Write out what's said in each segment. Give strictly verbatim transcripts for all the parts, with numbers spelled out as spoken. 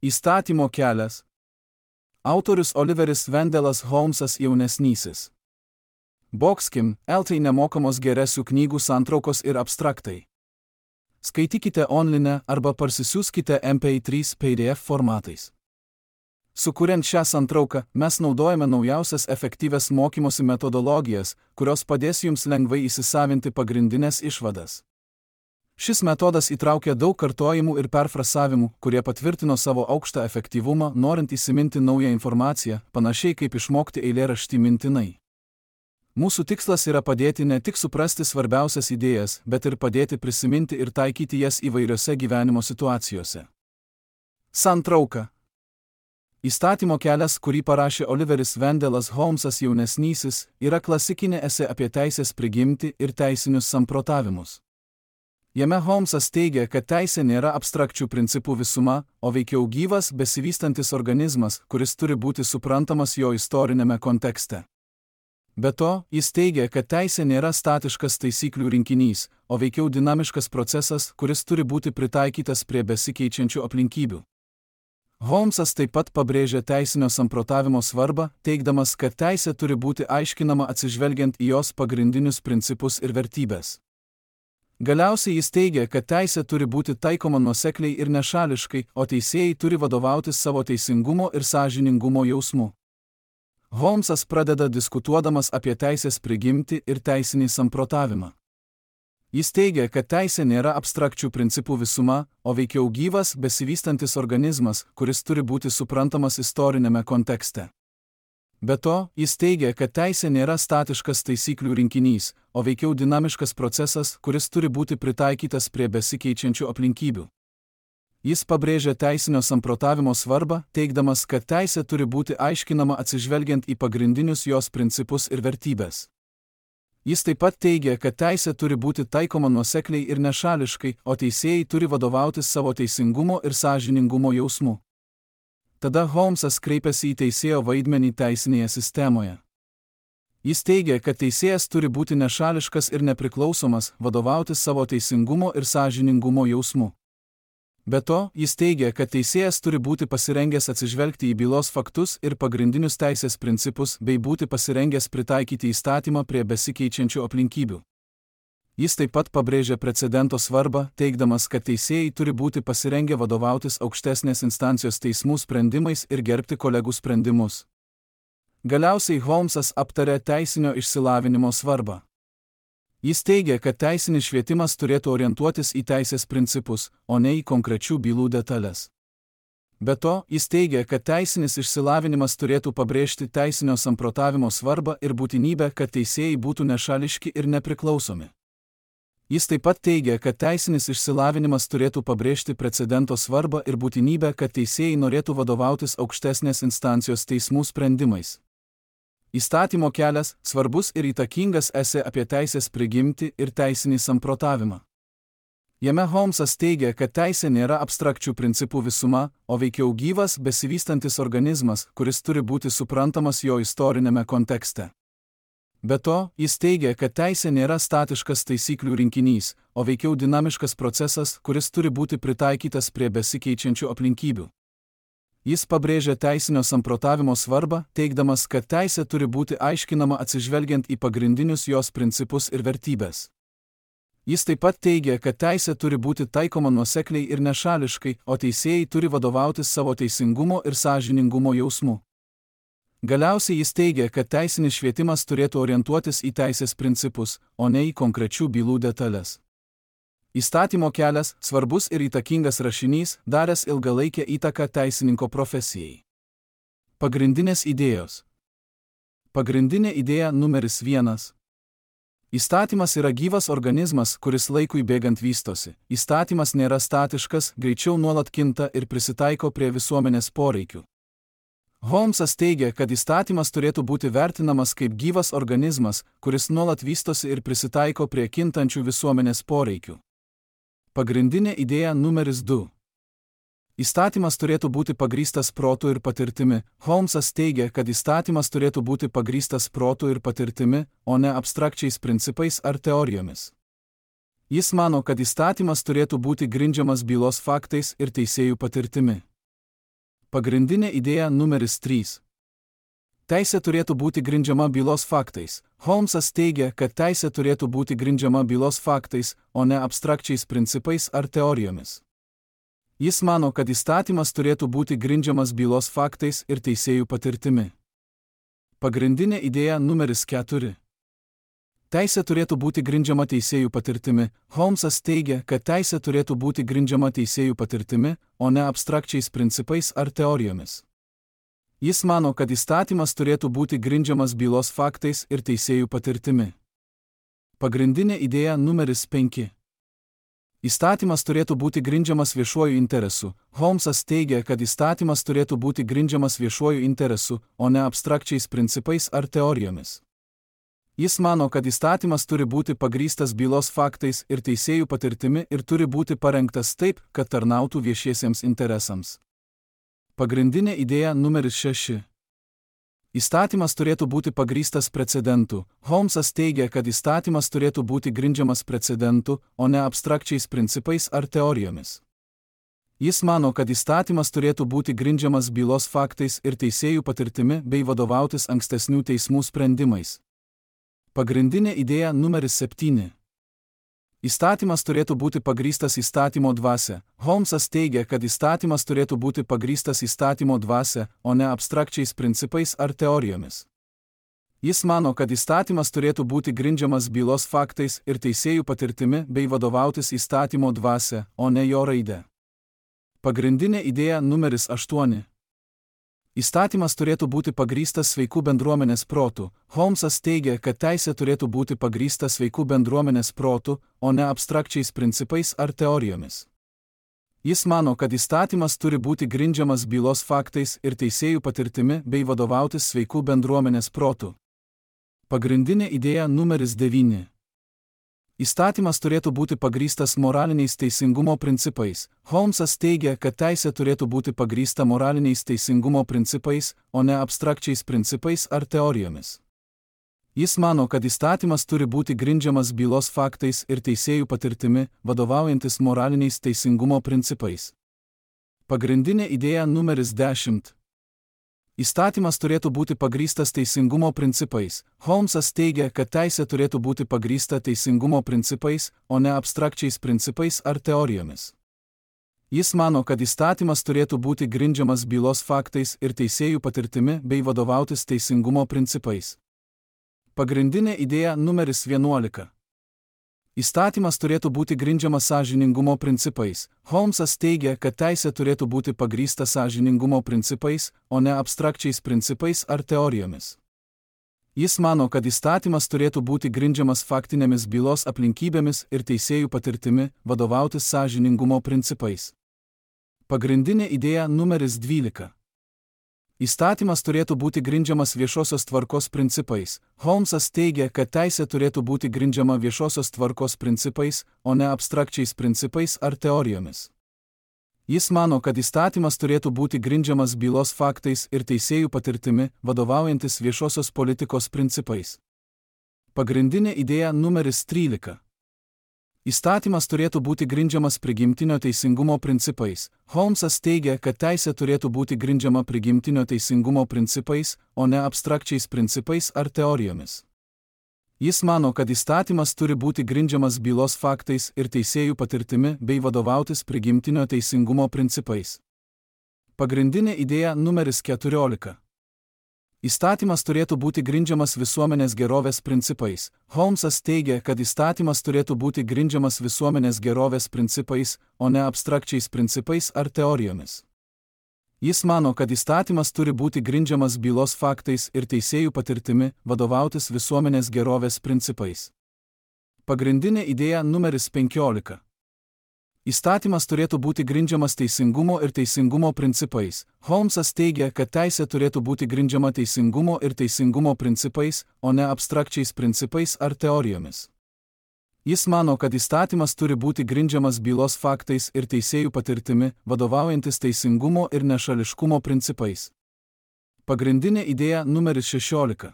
Įstatymo kelias. Autorius Oliveris Vendelas Holmsas jaunesnysis. Boxkim, L T nemokamos geresių knygų santraukos ir abstraktai. Skaitykite online arba parsisiųskite M P trys P D F formatais. Sukuriant šią santrauką, mes naudojame naujausias efektyvias mokymosi metodologijas, kurios padės jums lengvai įsisavinti pagrindinės išvadas. Šis metodas įtraukia daug kartojimų ir perfrasavimų, kurie patvirtino savo aukštą efektyvumą, norint įsiminti naują informaciją, panašiai kaip išmokti eilėraštį mintinai. Mūsų tikslas yra padėti ne tik suprasti svarbiausias idėjas, bet ir padėti prisiminti ir taikyti jas įvairiose gyvenimo situacijose. Santrauka. Įstatymo kelias, kurį parašė Oliveris Vendelas Holmsas jaunesnysis, yra klasikinė esė apie teisės prigimtį ir teisinius samprotavimus. Jame Holmsas teigia, kad teisė nėra abstrakčių principų visuma, o veikiau gyvas, besivystantis organizmas, kuris turi būti suprantamas jo istorinėme kontekste. Be to, jis teigia, kad teisė nėra statiškas taisyklių rinkinys, o veikiau dinamiškas procesas, kuris turi būti pritaikytas prie besikeičiančių aplinkybių. Holmsas taip pat pabrėžia teisinio samprotavimo svarbą, teigdamas, kad teisė turi būti aiškinama atsižvelgiant į jos pagrindinius principus ir vertybės. Galiausiai jis teigia, kad teisė turi būti taikoma nuosekliai ir nešališkai, o teisėjai turi vadovautis savo teisingumo ir sąžiningumo jausmu. Holmsas pradeda diskutuodamas apie teisės prigimtį ir teisinį samprotavimą. Jis teigia, kad teisė nėra abstrakčių principų visuma, o veikiau gyvas, besivystantis organizmas, kuris turi būti suprantamas istorinėme kontekste. Be to, jis teigia, kad teisė nėra statiškas taisyklių rinkinys, o veikiau dinamiškas procesas, kuris turi būti pritaikytas prie besikeičiančių aplinkybių. Jis pabrėžia teisinio samprotavimo svarbą, teigdamas, kad teisė turi būti aiškinama atsižvelgiant į pagrindinius jos principus ir vertybės. Jis taip pat teigia, kad teisė turi būti taikoma nuosekliai ir nešališkai, o teisėjai turi vadovautis savo teisingumo ir sąžiningumo jausmu. Tada Holmsas kreipiasi į teisėjo vaidmenį teisinėje sistemoje. Jis teigia, kad teisėjas turi būti nešališkas ir nepriklausomas, vadovautis savo teisingumo ir sąžiningumo jausmu. Be to, jis teigia, kad teisėjas turi būti pasirengęs atsižvelgti į bylos faktus ir pagrindinius teisės principus, bei būti pasirengęs pritaikyti įstatymą prie besikeičiančių aplinkybių. Jis taip pat pabrėžia precedento svarbą, teigdamas, kad teisėjai turi būti pasirengę vadovautis aukštesnės instancijos teismų sprendimais ir gerbti kolegų sprendimus. Galiausiai Holmsas aptarė teisinio išsilavinimo svarbą. Jis teigia, kad teisinis švietimas turėtų orientuotis į teisės principus, o ne į konkrečių bylų detalės. Be to, jis teigia, kad teisinis išsilavinimas turėtų pabrėžti teisinio samprotavimo svarbą ir būtinybę, kad teisėjai būtų nešališki ir nepriklausomi. Jis taip pat teigia, kad teisinis išsilavinimas turėtų pabrėžti precedento svarbą ir būtinybę, kad teisėjai norėtų vadovautis aukštesnės instancijos teismų sprendimais. Įstatymo kelias – svarbus ir įtakingas esė apie teisės prigimtį ir teisinį samprotavimą. Jame Holmsas teigia, kad teisė nėra abstrakčių principų visuma, o veikiau gyvas, besivystantis organizmas, kuris turi būti suprantamas jo istorinėme kontekste. Be to, jis teigia, kad teisė nėra statiškas taisyklių rinkinys, o veikiau dinamiškas procesas, kuris turi būti pritaikytas prie besikeičiančių aplinkybių. Jis pabrėžia teisinio samprotavimo svarbą, teigdamas, kad teisė turi būti aiškinama atsižvelgiant į pagrindinius jos principus ir vertybės. Jis taip pat teigia, kad teisė turi būti taikoma nuosekliai ir nešališkai, o teisėjai turi vadovautis savo teisingumo ir sąžiningumo jausmu. Galiausiai jis teigia, kad teisinis švietimas turėtų orientuotis į teisės principus, o ne į konkrečių bylų detalės. Įstatymo kelias – svarbus ir įtakingas rašinys, daręs ilgalaikę įtaką teisininko profesijai. Pagrindinės idėjos. Pagrindinė idėja numeris vienas. Įstatymas yra gyvas organizmas, kuris laikui bėgant vystosi. Įstatymas nėra statiškas, greičiau nuolat kinta ir prisitaiko prie visuomenės poreikių. Holmsas teigia, kad įstatymas turėtų būti vertinamas kaip gyvas organizmas, kuris nuolat vystosi ir prisitaiko prie kintančių visuomenės poreikių. Pagrindinė idėja numeris du. Įstatymas turėtų būti pagrįstas protu ir patirtimi. Holmsas teigia, kad įstatymas turėtų būti pagrįstas protu ir patirtimi, o ne abstrakčiais principais ar teorijomis. Jis mano, kad įstatymas turėtų būti grindžiamas bylos faktais ir teisėjų patirtimi. Pagrindinė idėja numeris trys. Teisė turėtų būti grindžiama bylos faktais. Holmsas teigia, kad teisė turėtų būti grindžiama bylos faktais, o ne abstrakčiais principais ar teorijomis. Jis mano, kad įstatymas turėtų būti grindžiamas bylos faktais ir teisėjų patirtimi. Pagrindinė idėja numeris keturi. Teisė turėtų būti grindžiama teisėjų patirtimi. Holmsas teigia, kad teisė turėtų būti grindžiama teisėjų patirtimi, o ne abstrakčiais principais ar teorijomis. Jis mano, kad įstatymas turėtų būti grindžiamas bylos faktais ir teisėjų patirtimi. Pagrindinė idėja numeris penki. Įstatymas turėtų būti grindžiamas viešuoju interesu. Holmsas teigia, kad įstatymas turėtų būti grindžiamas viešuoju interesu, o ne abstrakčiais principais ar teorijomis. Jis mano, kad įstatymas turi būti pagrįstas bylos faktais ir teisėjų patirtimi ir turi būti parengtas taip, kad tarnautų viešiesiems interesams. Pagrindinė idėja numeris šeši. Įstatymas turėtų būti pagrįstas precedentu. Holmsas teigia, kad įstatymas turėtų būti grindžiamas precedentu, o ne abstrakčiais principais ar teorijomis. Jis mano, kad įstatymas turėtų būti grindžiamas bylos faktais ir teisėjų patirtimi bei vadovautis ankstesnių teismų sprendimais. Pagrindinė idėja numeris septyni. Įstatymas turėtų būti pagrįstas įstatymo dvasia. Holmsas teigia, kad įstatymas turėtų būti pagrįstas įstatymo dvasia, o ne abstrakčiais principais ar teorijomis. Jis mano, kad įstatymas turėtų būti grindžiamas bylos faktais ir teisėjų patirtimi bei vadovautis įstatymo dvasia, o ne jo raide. Pagrindinė idėja numeris aštuoni. Įstatymas turėtų būti pagrįstas sveikų bendruomenės protų. Holmsas teigia, kad teisė turėtų būti pagrįsta sveikų bendruomenės protų, o ne abstrakčiais principais ar teorijomis. Jis mano, kad įstatymas turi būti grindžiamas bylos faktais ir teisėjų patirtimi bei vadovautis sveikų bendruomenės protų. Pagrindinė idėja numeris devyni. Įstatymas turėtų būti pagrįstas moraliniais teisingumo principais. Holmsas teigia, kad teisė turėtų būti pagrįsta moraliniais teisingumo principais, o ne abstrakčiais principais ar teorijomis. Jis mano, kad įstatymas turi būti grindžiamas bylos faktais ir teisėjų patirtimi, vadovaujantis moraliniais teisingumo principais. Pagrindinė idėja numeris dešimt. Įstatymas turėtų būti pagrįstas teisingumo principais. Holmsas teigia, kad teisė turėtų būti pagrįsta teisingumo principais, o ne abstrakčiais principais ar teorijomis. Jis mano, kad įstatymas turėtų būti grindžiamas bylos faktais ir teisėjų patirtimi bei vadovautis teisingumo principais. Pagrindinė idėja numeris vienuolika. Įstatymas turėtų būti grindžiamas sąžiningumo principais. Holmsas teigia, kad teisė turėtų būti pagrįsta sąžiningumo principais, o ne abstrakčiais principais ar teorijomis. Jis mano, kad įstatymas turėtų būti grindžiamas faktinėmis bylos aplinkybėmis ir teisėjų patirtimi, vadovautis sąžiningumo principais. Pagrindinė idėja numeris dvylika. Įstatymas turėtų būti grindžiamas viešosios tvarkos principais. Holmsas teigia, kad teisė turėtų būti grindžiama viešosios tvarkos principais, o ne abstrakčiais principais ar teorijomis. Jis mano, kad įstatymas turėtų būti grindžiamas bylos faktais ir teisėjų patirtimi, vadovaujantis viešosios politikos principais. Pagrindinė idėja numeris trylika. Įstatymas turėtų būti grindžiamas prigimtinio teisingumo principais. Holmsas teigia, kad teisė turėtų būti grindžiama prigimtinio teisingumo principais, o ne abstrakčiais principais ar teorijomis. Jis mano, kad įstatymas turi būti grindžiamas bylos faktais ir teisėjų patirtimi bei vadovautis prigimtinio teisingumo principais. Pagrindinė idėja numeris keturiolika. Įstatymas turėtų būti grindžiamas visuomenės gerovės principais. Holmsas teigia, kad įstatymas turėtų būti grindžiamas visuomenės gerovės principais, o ne abstrakčiais principais ar teorijomis. Jis mano, kad įstatymas turi būti grindžiamas bylos faktais ir teisėjų patirtimi, vadovautis visuomenės gerovės principais. Pagrindinė idėja numeris penkiolika. Įstatymas turėtų būti grindžiamas teisingumo ir teisingumo principais. Holmsas teigia, kad teisė turėtų būti grindžiama teisingumo ir teisingumo principais, o ne abstrakčiais principais ar teorijomis. Jis mano, kad įstatymas turi būti grindžiamas bylos faktais ir teisėjų patirtimi, vadovaujantis teisingumo ir nešališkumo principais. Pagrindinė idėja numeris šešiolika.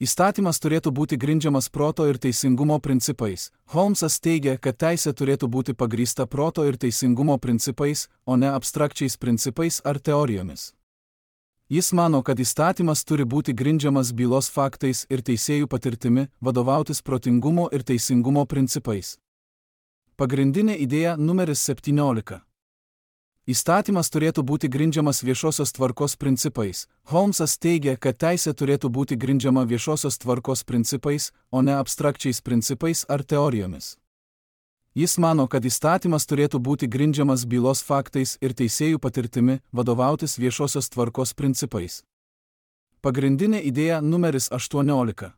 Įstatymas turėtų būti grindžiamas proto ir teisingumo principais. Holmsas teigia, kad teisė turėtų būti pagrįsta proto ir teisingumo principais, o ne abstrakčiais principais ar teorijomis. Jis mano, kad įstatymas turi būti grindžiamas bylos faktais ir teisėjų patirtimi, vadovautis protingumo ir teisingumo principais. Pagrindinė idėja numeris septyniolika. Įstatymas turėtų būti grindžiamas viešosios tvarkos principais. Holmsas teigia, kad teisė turėtų būti grindžiama viešosios tvarkos principais, o ne abstrakčiais principais ar teorijomis. Jis mano, kad įstatymas turėtų būti grindžiamas bylos faktais ir teisėjų patirtimi, vadovautis viešosios tvarkos principais. Pagrindinė idėja numeris aštuoniolika.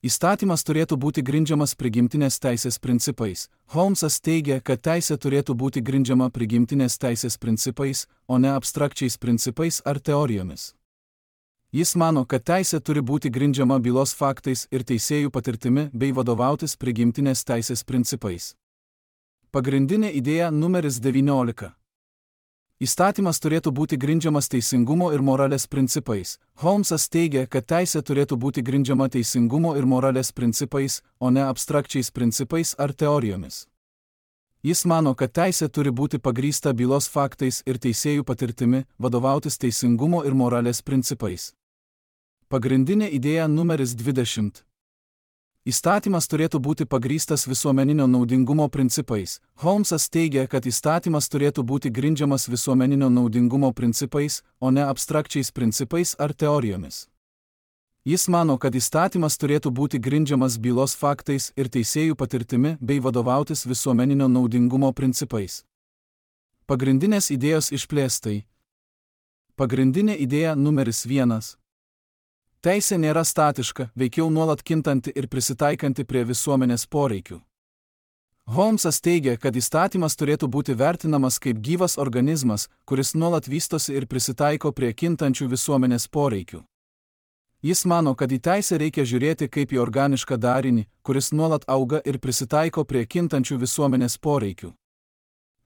Įstatymas turėtų būti grindžiamas prigimtinės teisės principais. Holmsas teigia, kad teisė turėtų būti grindžiama prigimtinės teisės principais, o ne abstrakčiais principais ar teorijomis. Jis mano, kad teisė turi būti grindžiama bylos faktais ir teisėjų patirtimi bei vadovautis prigimtinės teisės principais. Pagrindinė idėja numeris devyniolika. Įstatymas turėtų būti grindžiamas teisingumo ir moralės principais. Holmsas teigia, kad teisė turėtų būti grindžiama teisingumo ir moralės principais, o ne abstrakčiais principais ar teorijomis. Jis mano, kad teisė turi būti pagrįsta bylos faktais ir teisėjų patirtimi, vadovautis teisingumo ir moralės principais. Pagrindinė idėja numeris dvidešimt. Įstatymas turėtų būti pagrįstas visuomeninio naudingumo principais. Holmsas teigia, kad įstatymas turėtų būti grindžiamas visuomeninio naudingumo principais, o ne abstrakčiais principais ar teorijomis. Jis mano, kad įstatymas turėtų būti grindžiamas bylos faktais ir teisėjų patirtimi bei vadovautis visuomeninio naudingumo principais. Pagrindinės idėjos išplėstai. Pagrindinė idėja numeris vienas. Teisė nėra statiška, veikiau nuolat kintanti ir prisitaikanti prie visuomenės poreikių. Holmsas teigia, kad įstatymas turėtų būti vertinamas kaip gyvas organizmas, kuris nuolat vystosi ir prisitaiko prie kintančių visuomenės poreikių. Jis mano, kad į teisę reikia žiūrėti kaip į organišką darinį, kuris nuolat auga ir prisitaiko prie kintančių visuomenės poreikių.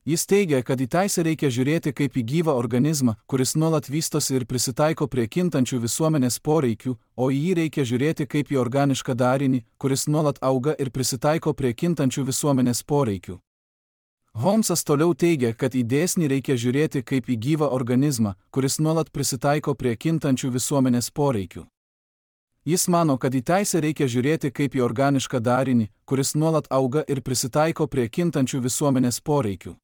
Jis teigia, kad į teisę reikia žiūrėti kaip į gyvą organizmą, kuris nuolat vystosi ir prisitaiko prie kintančių visuomenės poreikių, o į jį reikia žiūrėti kaip į organišką darinį, kuris nuolat auga ir prisitaiko prie kintančių visuomenės poreikių. Holmsas toliau teigia, kad į dėsnį reikia žiūrėti kaip į gyvą organizmą, kuris nuolat prisitaiko prie kintančių visuomenės poreikių. Jis mano, kad į teisę reikia žiūrėti kaip į organišką darinį, kuris nuolat auga ir prisitaiko prie kintančių visuomenės poreikių.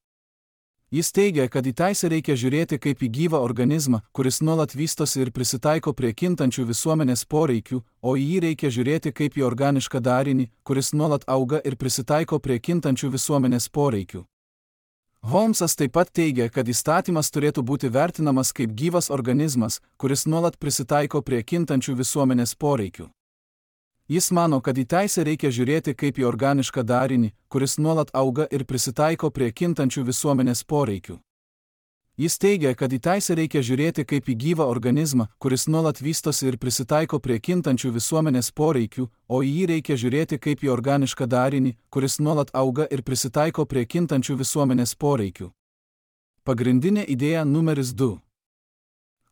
Jis teigia, kad į teisę reikia žiūrėti kaip į gyvą organizmą, kuris nuolat vystosi ir prisitaiko prie kintančių visuomenės poreikių, o į jį reikia žiūrėti kaip į organišką darinį, kuris nuolat auga ir prisitaiko prie kintančių visuomenės poreikių. Holmsas taip pat teigia, kad įstatymas turėtų būti vertinamas kaip gyvas organizmas, kuris nuolat prisitaiko prie kintančių visuomenės poreikių. Jis mano, kad į teisę reikia žiūrėti kaip į organišką darinį, kuris nuolat auga ir prisitaiko prie kintančių visuomenės poreikių. Jis teigia, kad į teisę reikia žiūrėti kaip į gyvą organizmą, kuris nuolat vystosi ir prisitaiko prie kintančių visuomenės poreikių, o į jį reikia žiūrėti kaip į organišką darinį, kuris nuolat auga ir prisitaiko prie kintančių visuomenės poreikių. Pagrindinė idėja numeris du.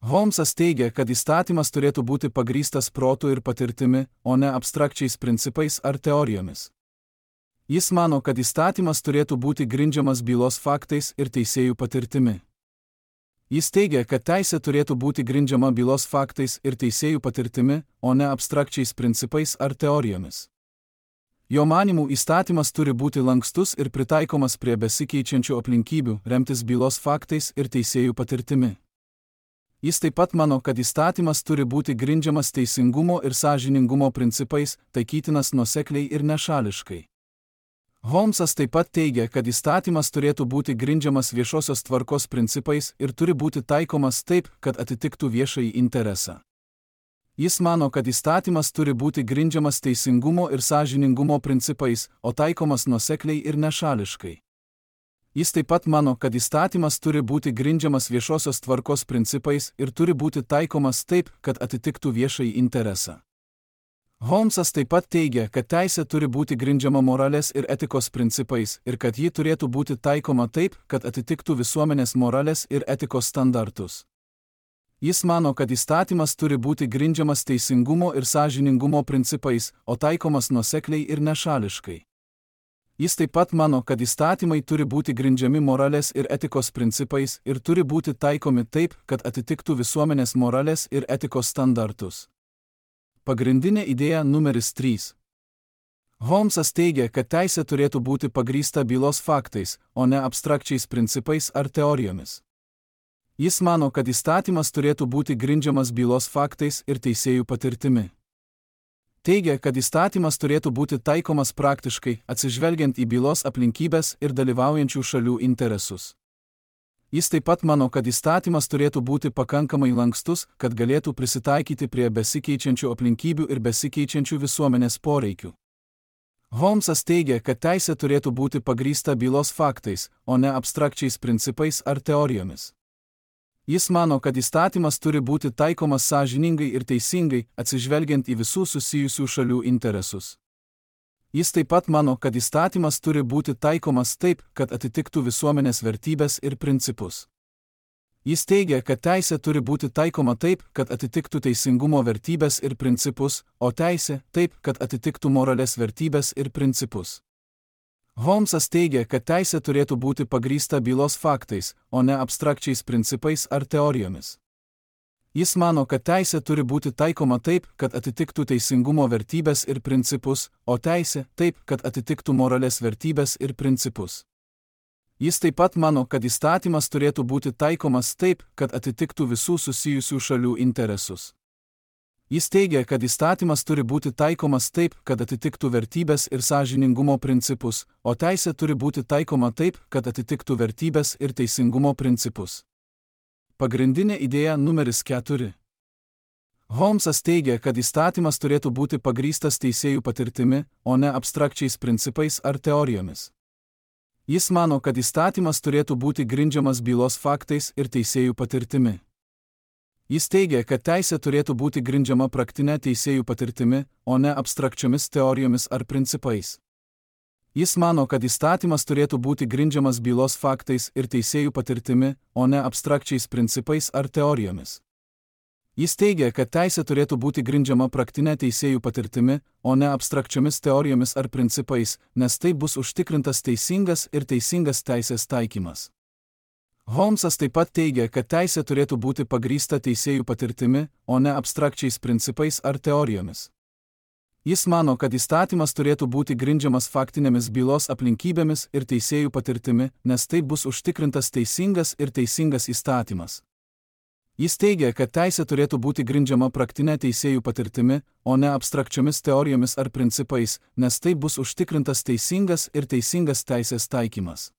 Holmsas teigia, kad įstatymas turėtų būti pagrįstas protu ir patirtimi, o ne abstrakčiais principais ar teorijomis. Jis mano, kad įstatymas turėtų būti grindžiamas bylos faktais ir teisėjų patirtimi. Jis teigia, kad teisė turėtų būti grindžiama bylos faktais ir teisėjų patirtimi, o ne abstrakčiais principais ar teorijomis. Jo manymų įstatymas turi būti lankstus ir pritaikomas prie besikeičiančių aplinkybių, remtis bylos faktais ir teisėjų patirtimi. Jis taip pat mano, kad įstatymas turi būti grindžiamas teisingumo ir sąžiningumo principais, taikytinas nuosekliai ir nešališkai. Holmsas taip pat teigia, kad įstatymas turėtų būti grindžiamas viešosios tvarkos principais ir turi būti taikomas taip, kad atitiktų viešąjį interesą. Jis mano, kad įstatymas turi būti grindžiamas teisingumo ir sąžiningumo principais, o taikomas nuosekliai ir nešališkai. Jis taip pat mano, kad įstatymas turi būti grindžiamas viešosios tvarkos principais ir turi būti taikomas taip, kad atitiktų viešąjį interesą. Holmsas taip pat teigia, kad teisė turi būti grindžiama moralės ir etikos principais ir kad ji turėtų būti taikoma taip, kad atitiktų visuomenės moralės ir etikos standartus. Jis mano, kad įstatymas turi būti grindžiamas teisingumo ir sąžiningumo principais, o taikomas nuosekliai ir nešališkai. Jis taip pat mano, kad įstatymai turi būti grindžiami moralės ir etikos principais ir turi būti taikomi taip, kad atitiktų visuomenės moralės ir etikos standartus. Pagrindinė idėja numeris trys. Holmsas teigia, kad teisė turėtų būti pagrįsta bylos faktais, o ne abstrakčiais principais ar teorijomis. Jis mano, kad įstatymas turėtų būti grindžiamas bylos faktais ir teisėjų patirtimi. Teigia, kad įstatymas turėtų būti taikomas praktiškai, atsižvelgiant į bylos aplinkybės ir dalyvaujančių šalių interesus. Jis taip pat mano, kad įstatymas turėtų būti pakankamai lankstus, kad galėtų prisitaikyti prie besikeičiančių aplinkybių ir besikeičiančių visuomenės poreikių. Holmsas teigia, kad teisė turėtų būti pagrįsta bylos faktais, o ne abstrakčiais principais ar teorijomis. Jis mano, kad įstatymas turi būti taikomas sąžiningai ir teisingai, atsižvelgiant į visų susijusių šalių interesus. Jis taip pat mano, kad įstatymas turi būti taikomas taip, kad atitiktų visuomenės vertybės ir principus. Jis teigia, kad teisė turi būti taikoma taip, kad atitiktų teisingumo vertybės ir principus, o teisė taip, kad atitiktų moralės vertybės ir principus. Holmsas teigia, kad teisė turėtų būti pagrįsta bylos faktais, o ne abstrakčiais principais ar teorijomis. Jis mano, kad teisė turi būti taikoma taip, kad atitiktų teisingumo vertybės ir principus, o teisė taip, kad atitiktų moralės vertybės ir principus. Jis taip pat mano, kad įstatymas turėtų būti taikomas taip, kad atitiktų visų susijusių šalių interesus. Jis teigia, kad įstatymas turi būti taikomas taip, kad atitiktų vertybės ir sąžiningumo principus, o teisė turi būti taikoma taip, kad atitiktų vertybės ir teisingumo principus. Pagrindinė idėja numeris keturi. Holmsas teigia, kad įstatymas turėtų būti pagrįstas teisėjų patirtimi, o ne abstrakčiais principais ar teorijomis. Jis mano, kad įstatymas turėtų būti grindžiamas bylos faktais ir teisėjų patirtimi. Jis teigia, kad teisė turėtų būti grindžiama praktinė teisėjų patirtimi, o ne abstrakčiomis teorijomis ar principais. Jis mano, kad įstatymas turėtų būti grindžiamas bylos faktais ir teisėjų patirtimi, o ne abstrakčiais principais ar teorijomis. Jis teigia, kad teisė turėtų būti grindžiama praktinė teisėjų patirtimi, o ne abstrakčiomis teorijomis ar principais, nes taip bus užtikrintas teisingas ir teisingas teisės taikymas. Holmsas taip pat teigia, kad teisė turėtų būti pagrįsta teisėjų patirtimi, o ne abstrakčiais principais ar teorijomis. Jis mano, kad įstatymas turėtų būti grindžiamas faktinėmis bylos aplinkybėmis ir teisėjų patirtimi, nes taip bus užtikrintas teisingas ir teisingas įstatymas. Jis teigia, kad teisė turėtų būti grindžiama praktinė teisėjų patirtimi, o ne abstrakčiomis teorijomis ar principais, nes taip bus užtikrintas teisingas ir teisingas teisės taikymas.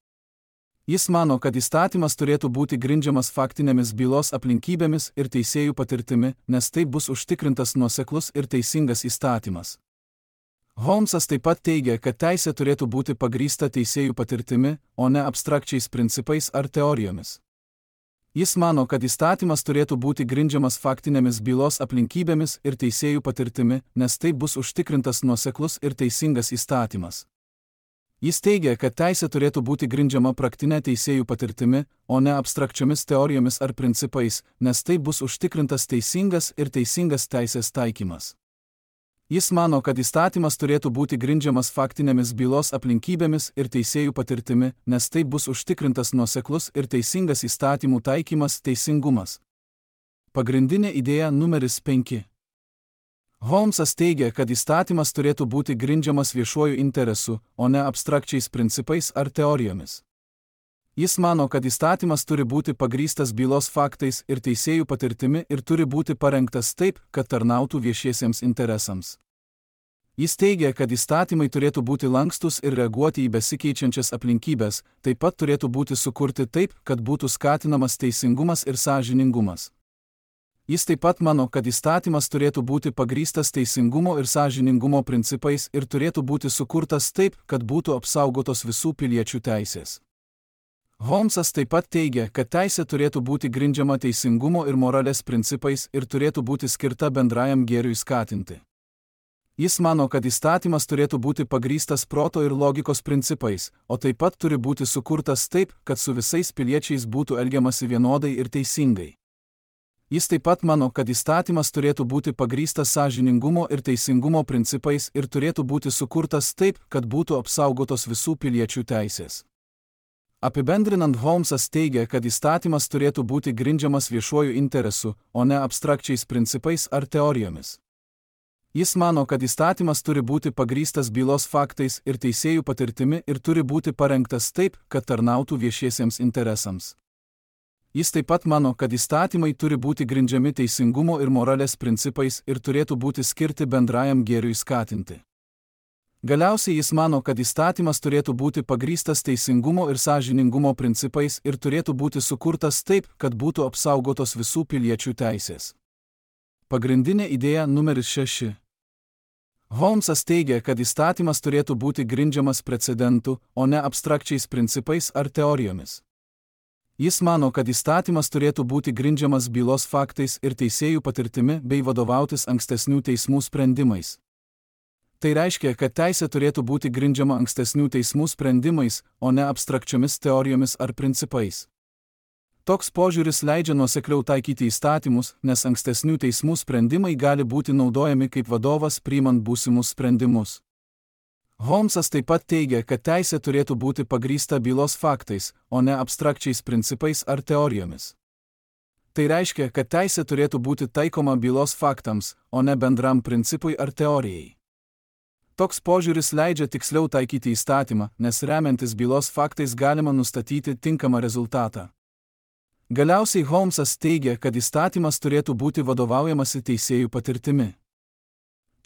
Jis mano, kad įstatymas turėtų būti grindžiamas faktinėmis bylos aplinkybėmis ir teisėjų patirtimi, nes taip bus užtikrintas nuoseklus ir teisingas įstatymas. Holmsas taip pat teigia, kad teisė turėtų būti pagrįsta teisėjų patirtimi, o ne abstrakčiais principais ar teorijomis. Jis mano, kad įstatymas turėtų būti grindžiamas faktinėmis bylos aplinkybėmis ir teisėjų patirtimi, nes taip bus užtikrintas nuoseklus ir teisingas įstatymas. Jis teigia, kad teisė turėtų būti grindžiama praktinė teisėjų patirtimi, o ne abstrakčiomis teorijomis ar principais, nes taip bus užtikrintas teisingas ir teisingas teisės taikymas. Jis mano, kad įstatymas turėtų būti grindžiamas faktinėmis bylos aplinkybėmis ir teisėjų patirtimi, nes taip bus užtikrintas nuoseklus ir teisingas įstatymų taikymas teisingumas. Pagrindinė idėja numeris penki. Holmsas teigia, kad įstatymas turėtų būti grindžiamas viešuoju interesu, o ne abstrakčiais principais ar teorijomis. Jis mano, kad įstatymas turi būti pagrįstas bylos faktais ir teisėjų patirtimi ir turi būti parengtas taip, kad tarnautų viešiesiems interesams. Jis teigia, kad įstatymai turėtų būti lankstus ir reaguoti į besikeičiančias aplinkybės, taip pat turėtų būti sukurti taip, kad būtų skatinamas teisingumas ir sąžiningumas. Jis taip pat mano, kad įstatymas turėtų būti pagrįstas teisingumo ir sąžiningumo principais ir turėtų būti sukurtas taip, kad būtų apsaugotos visų piliečių teisės. Holmsas taip pat teigia, kad teisė turėtų būti grindžiama teisingumo ir moralės principais ir turėtų būti skirta bendrajam gėriui skatinti. Jis mano, kad įstatymas turėtų būti pagrįstas proto ir logikos principais, o taip pat turi būti sukurtas taip, kad su visais piliečiais būtų elgiamasi vienodai ir teisingai. Jis taip pat mano, kad įstatymas turėtų būti pagrįstas sąžiningumo ir teisingumo principais ir turėtų būti sukurtas taip, kad būtų apsaugotos visų piliečių teisės. Apibendrinant, Holmesas teigia, kad įstatymas turėtų būti grindžiamas viešuoju interesu, o ne abstrakčiais principais ar teorijomis. Jis mano, kad įstatymas turi būti pagrįstas bylos faktais ir teisėjų patirtimi ir turi būti parengtas taip, kad tarnautų viešiesiems interesams. Jis taip pat mano, kad įstatymai turi būti grindžiami teisingumo ir moralės principais ir turėtų būti skirti bendrajam gėriui skatinti. Galiausiai jis mano, kad įstatymas turėtų būti pagrįstas teisingumo ir sąžiningumo principais ir turėtų būti sukurtas taip, kad būtų apsaugotos visų piliečių teisės. Pagrindinė idėja numeris šeši. Holmesas teigia, kad įstatymas turėtų būti grindžiamas precedentu, o ne abstrakčiais principais ar teorijomis. Jis mano, kad įstatymas turėtų būti grindžiamas bylos faktais ir teisėjų patirtimi bei vadovautis ankstesnių teismų sprendimais. Tai reiškia, kad teisė turėtų būti grindžiama ankstesnių teismų sprendimais, o ne abstrakčiomis teorijomis ar principais. Toks požiūris leidžia nuosekliau taikyti įstatymus, nes ankstesnių teismų sprendimai gali būti naudojami kaip vadovas priimant būsimus sprendimus. Holmesas taip pat teigia, kad teisė turėtų būti pagrįsta bylos faktais, o ne abstrakčiais principais ar teorijomis. Tai reiškia, kad teisė turėtų būti taikoma bylos faktams, o ne bendram principui ar teorijai. Toks požiūris leidžia tiksliau taikyti įstatymą, nes remiantis bylos faktais galima nustatyti tinkamą rezultatą. Galiausiai Holmesas teigia, kad įstatymas turėtų būti vadovaujamasi teisėjų patirtimi.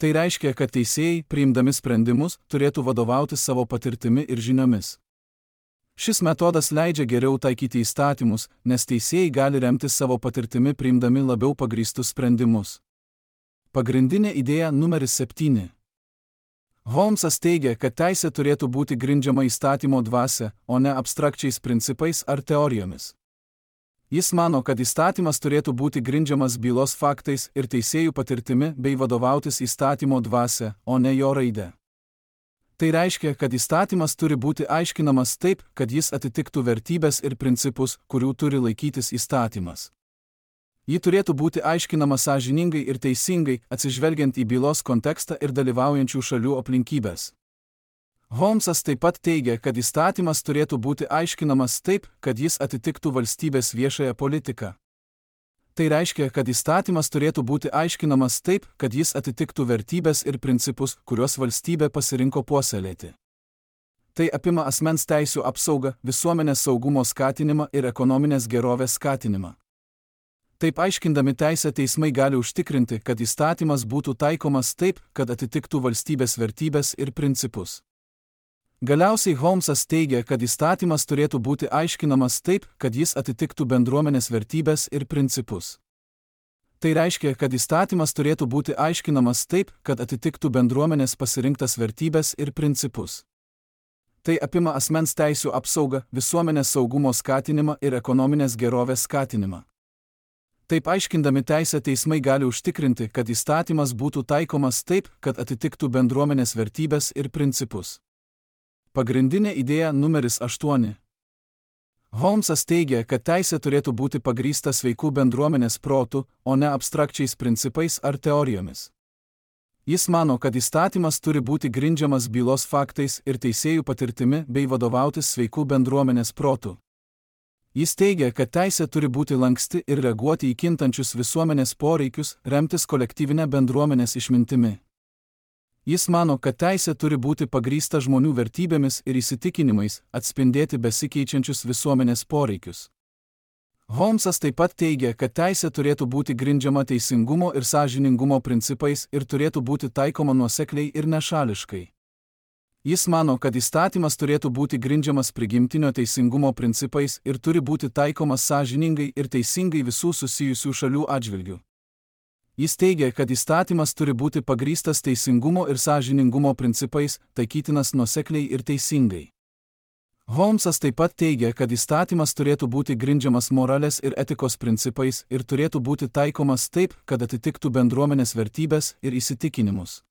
Tai reiškia, kad teisėjai, priimdami sprendimus, turėtų vadovauti savo patirtimi ir žiniomis. Šis metodas leidžia geriau taikyti įstatymus, nes teisėjai gali remtis savo patirtimi priimdami labiau pagrįstus sprendimus. Pagrindinė idėja numeris septyni. Holmesas teigia, kad teisė turėtų būti grindžiama įstatymo dvasia, o ne abstrakčiais principais ar teorijomis. Jis mano, kad įstatymas turėtų būti grindžiamas bylos faktais ir teisėjų patirtimi bei vadovautis įstatymo dvasia, o ne jo raide. Tai reiškia, kad įstatymas turi būti aiškinamas taip, kad jis atitiktų vertybės ir principus, kurių turi laikytis įstatymas. Ji turėtų būti aiškinama sąžiningai ir teisingai, atsižvelgiant į bylos kontekstą ir dalyvaujančių šalių aplinkybės. Holmesas taip pat teigia, kad įstatymas turėtų būti aiškinamas taip, kad jis atitiktų valstybės viešąją politiką. Tai reiškia, kad įstatymas turėtų būti aiškinamas taip, kad jis atitiktų vertybės ir principus, kuriuos valstybė pasirinko puoselėti. Tai apima asmens teisių apsaugą, visuomenės saugumo skatinimą ir ekonominės gerovės skatinimą. Taip aiškindami teisę teismai gali užtikrinti, kad įstatymas būtų taikomas taip, kad atitiktų valstybės vertybės ir principus. Galiausiai Holmesas teigia, kad įstatymas turėtų būti aiškinamas taip, kad jis atitiktų bendruomenės vertybės ir principus. Tai reiškia, kad įstatymas turėtų būti aiškinamas taip, kad atitiktų bendruomenės pasirinktas vertybės ir principus. Tai apima asmens teisių apsaugą, visuomenės saugumo skatinimą ir ekonominės gerovės skatinimą. Taip aiškindami teisę teismai gali užtikrinti, kad įstatymas būtų taikomas taip, kad atitiktų bendruomenės vertybės ir principus. Pagrindinė idėja numeris aštuoni. Holmesas teigia, kad teisė turėtų būti pagrįsta sveikų bendruomenės protų, o ne abstrakčiais principais ar teorijomis. Jis mano, kad įstatymas turi būti grindžiamas bylos faktais ir teisėjų patirtimi bei vadovautis sveikų bendruomenės protų. Jis teigia, kad teisė turi būti lanksti ir reaguoti į kintančius visuomenės poreikius, remtis kolektyvinę bendruomenės išmintimi. Jis mano, kad teisė turi būti pagrįsta žmonių vertybėmis ir įsitikinimais, atspindėti besikeičiančius visuomenės poreikius. Holmesas taip pat teigia, kad teisė turėtų būti grindžiama teisingumo ir sąžiningumo principais ir turėtų būti taikoma nuosekliai ir nešališkai. Jis mano, kad įstatymas turėtų būti grindžiamas prigimtinio teisingumo principais ir turi būti taikomas sąžiningai ir teisingai visų susijusių šalių atžvilgių. Jis teigia, kad įstatymas turi būti pagrįstas teisingumo ir sąžiningumo principais, taikytinas nuosekliai ir teisingai. Holmesas taip pat teigia, kad įstatymas turėtų būti grindžiamas moralės ir etikos principais ir turėtų būti taikomas taip, kad atitiktų bendruomenės vertybės ir įsitikinimus.